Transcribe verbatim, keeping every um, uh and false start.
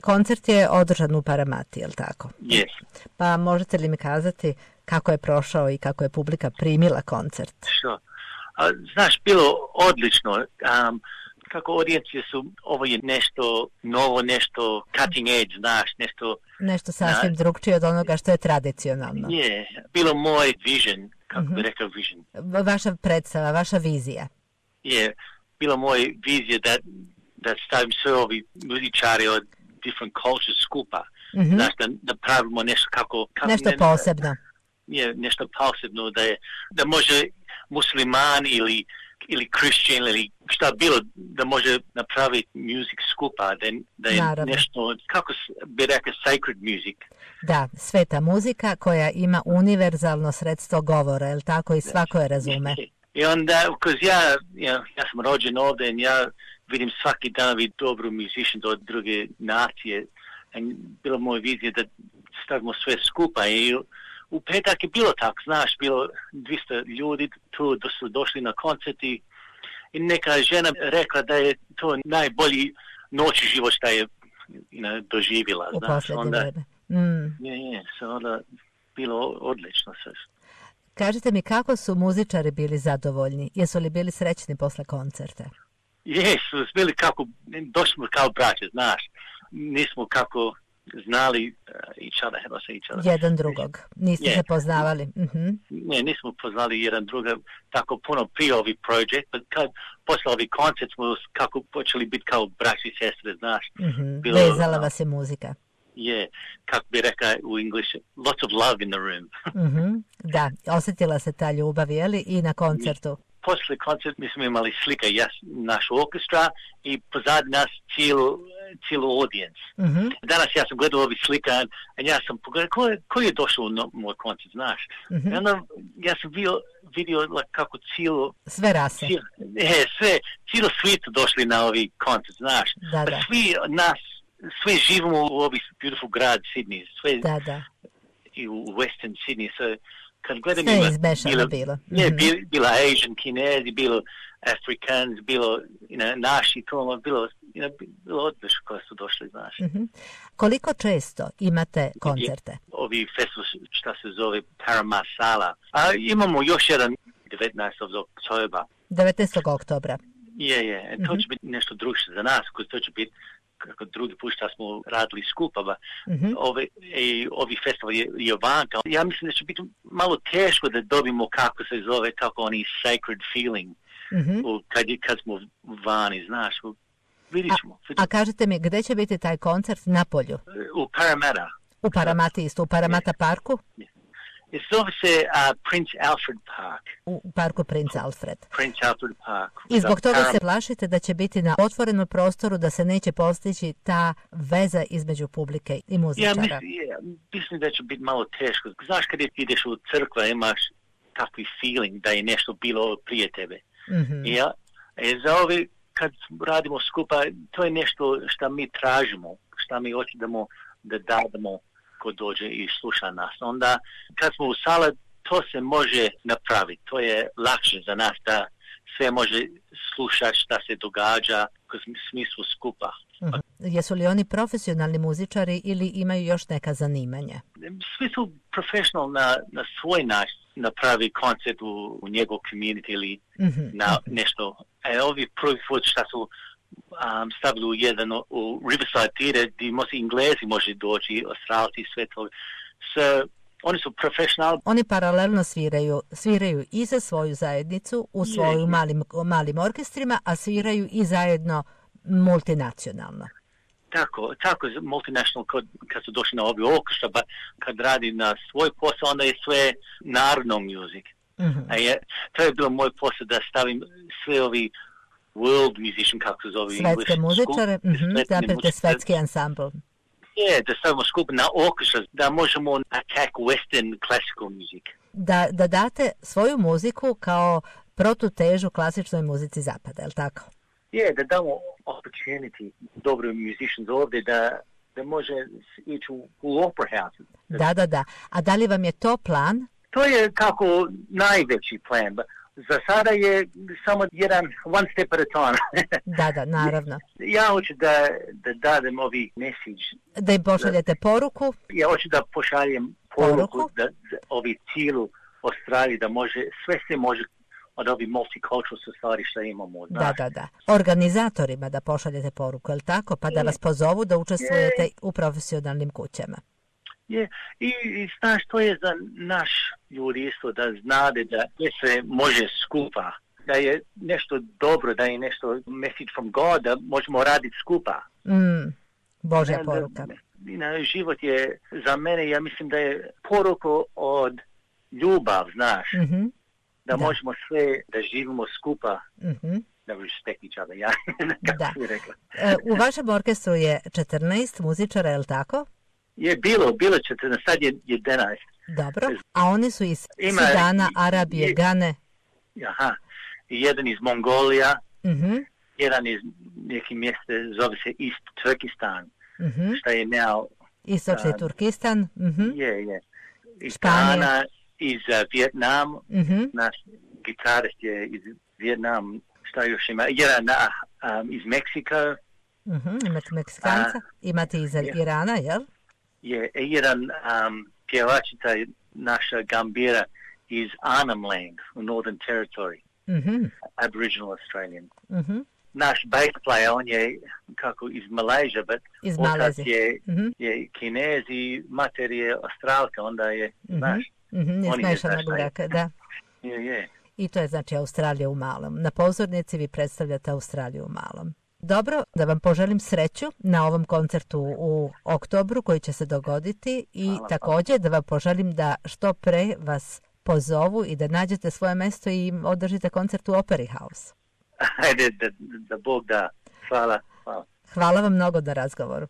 Koncert je održan u Paramati, je li tako? Yes. Pa možete li mi kazati kako je prošao i kako je publika primila koncert? Što? Znaš, bilo odlično. Um, kako audijencije su, ovo je nešto novo, nešto cutting edge, znaš, nešto... Nešto sasvim na, drugčije od onoga što je tradicionalno. Je, bilo moj vision, kako mm-hmm. bi rekao vision. Vaša predstava, vaša vizija. Je, bilo moj vizija da, da stavim sve ovi muzičari od different cultures skupa. Mm-hmm. Znaš, da, da pravimo nešto kako... kako nešto ne, posebno. Je, nešto posebno, da, je, da može musliman ili ili Christian ili šta bilo da može napraviti music skupa, da, da je Naravno. nešto, kako bi rekao, sacred music. Da, sveta muzika koja ima univerzalno sredstvo govora, je li tako, i svako je razume. I onda, because ja, ja, ja sam rođen ovdje i ja vidim svaki dan vidim dobru musicians od druge nacije. I bila moja vizija da stavimo sve skupa i u petak je bilo tako, znaš, bilo dvjesto ljudi tu da su došli na koncert i neka žena rekla da je to najbolji noći život što je you know, doživjela. U znaš, onda, vreme. Mm. Je, je, so onda bilo odlično sve. Kažite mi, kako su muzičari bili zadovoljni? Jesu li bili srećni posle koncerta? Jesu, bili kako, došli smo kao braće, znaš, nismo kako znali uh, each other, how do I say each other? Jedan drugog. Niste yeah. se poznavali. Mm-hmm. Ne, nismo poznali jedan drugog tako puno prije ovi projekt, pa kad posle ovi koncert smo kako počeli biti kao braći i sestre, znaš. Mm-hmm. Bilo, vezala vas je muzika. Je, yeah, kako bi rekao u English, lots of love in the room. mm-hmm. Da, osjetila se ta ljubav, je li, i na koncertu? Posle koncert mi smo imali slika jas, našu orkestra i pozadnji nas cijelu cijelu audience. Mm-hmm. Danas ja sam gledao ovi slika i ja sam pogledao ko je, ko je došao na moj koncert, znaš. Mm-hmm. I onda ja sam vidio, vidio like, kako cijelo... Sve rase. Cijelo, je, sve, cijelo svijetu došli na ovi koncert, znaš. Da, pa da. Svi nas, svi živimo u ovi beautiful grad Sydney. Sve, da, da. I u Western Sydney. So, kad gledam sve ima, izmešano bilo. bilo. Mm-hmm. Je, bila, bila Asian, Kinezi, bilo Africans, bilo you know, naši, to bilo, you know, bilo odlično koji su došli, znaš. Mm-hmm. Koliko često imate koncerte? Ovi festival šta se zove Paramount Sala. A imamo još jedan devetnaestog oktobra. devetnaestog oktobra. Je, je. Mm-hmm. To će biti nešto drugačije za nas, koji to će biti kako drugi put što smo radili skupa, ba, mm-hmm. ovi, i, ovi festival je, je vanka. Ja mislim da će biti malo teško da dobimo kako se zove, kako oni sacred feeling. Mm-hmm. Kad, kad smo vani, znaš, vidit ćemo. A, a kažete mi, gdje će biti taj koncert? Na polju? U Paramata. U Paramati isto, u Paramata yeah. parku? Yeah. I zove se uh, Prince Alfred Park. U parku Prince Alfred. Prince Alfred Park. I zbog toga se plašite da će biti na otvorenom prostoru, da se neće postići ta veza između publike i muzičara? Ja mislim, ja, mislim da će biti malo teško. Znaš kad ideš u crkva imaš takvi feeling da je nešto bilo prije tebe. Mm-hmm. Ja, e, za ovi kad radimo skupa, to je nešto što mi tražimo, što mi hoćemo da dademo ko dođe i sluša nas. Onda kad smo u sala, to se može napraviti. To je lakše za nas da sve može slušati šta se događa u smislu skupa. Uh-huh. Jesu li oni profesionalni muzičari ili imaju još neka zanimanja? Svi su profesionalni na, na svoj način napravi koncert u, u njegov community ili uh-huh. na uh-huh. nešto. E, ovi prvi put šta su Um, stavili u jedan u Riverside Theatre gdje može Englezi može doći, Australci, sve to. So, oni su profesionalni. Oni paralelno sviraju, sviraju i za svoju zajednicu u svojim yeah. malim, malim orkestrima, a sviraju i zajedno multinacionalno. Tako, tako je multinational kad, kad su došli na ovi orkestra, pa kad radi na svoj posao, onda je sve narodno muzik. Mm-hmm. A je, to je bilo moj posao da stavim sve ovi world musician, kako se zove English. Svetske muzičare, mm-hmm, zaprete svetski ansambl. Je, da stavimo skup na orkestra, da možemo attack western classical music. Da, da date svoju muziku kao protutežu klasičnoj muzici zapada, je li tako? Je, da damo opportunity dobrim musicians ovdje da, da može ići u, u opera house. Da, da, da. A da li vam je to plan? To je kako najveći plan, za sada je samo jedan one step at a time. Da, da, naravno. Ja hoću da, da dadem ovi message. Da im pošaljete poruku? Ja hoću da pošaljem poruku, poruku? Da, da ovi cijelu Australiji, da može, sve se može od ovih multicultural society što imamo. Da, da, da. Organizatorima da pošaljete poruku, je li tako? Pa da vas pozovu da učestvujete je. u profesionalnim kućama. Je. I, i znaš, to je za naš ljudi isto da znade da se može skupa, da je nešto dobro, da je nešto message from God, da možemo raditi skupa. Mm, Božja poruka. Da, život je za mene, ja mislim da je poruka od ljubav, znaš. Mm-hmm. Da, da možemo sve, da živimo skupa, mm-hmm. da respect each other, ja, kako da. si rekla. E, u vašem orkestru je četrnaest muzičara, je li tako? Je bilo, bilo četrnaest, sad je jedanaest. Dobro, a oni su iz Ima, Sudana, Arabije, je, Gane? Aha, jedan iz Mongolija, mm-hmm. jedan iz neki mjeste, zove se East Turkistan, mm-hmm. šta je now... Istočni uh, Turkistan? Mm-hmm. Je, je. Iz Španija. Ghana, iz uh, Vijetnam, mm-hmm. naš gitarist je iz Vijetnam, šta još ima, jedan um, iz Meksika. Mm-hmm. Imate Meksikanca, uh, imate iz yeah. Irana, jel? Je, jedan um, pjevačica naša gambira iz Arnhem Land u Northern Territory, mm-hmm. Aboriginal Australian. Mm-hmm. Naš bass player, on je kako iz Malaysia, but iz otac je, mm-hmm. je Kinez i mater je Australka, onda je, mm-hmm. znaš. Mm-hmm. Je smešana braka, da. Je, je. I to je znači Australija u malom. Na pozornici vi predstavljate Australiju u malom. Dobro, da vam poželim sreću na ovom koncertu u oktobru koji će se dogoditi i hvala, također da vam poželim da što pre vas pozovu i da nađete svoje mesto i održite koncert u Opera House. Ajde, da, da Bog da. Hvala, hvala. Hvala vam mnogo na razgovoru.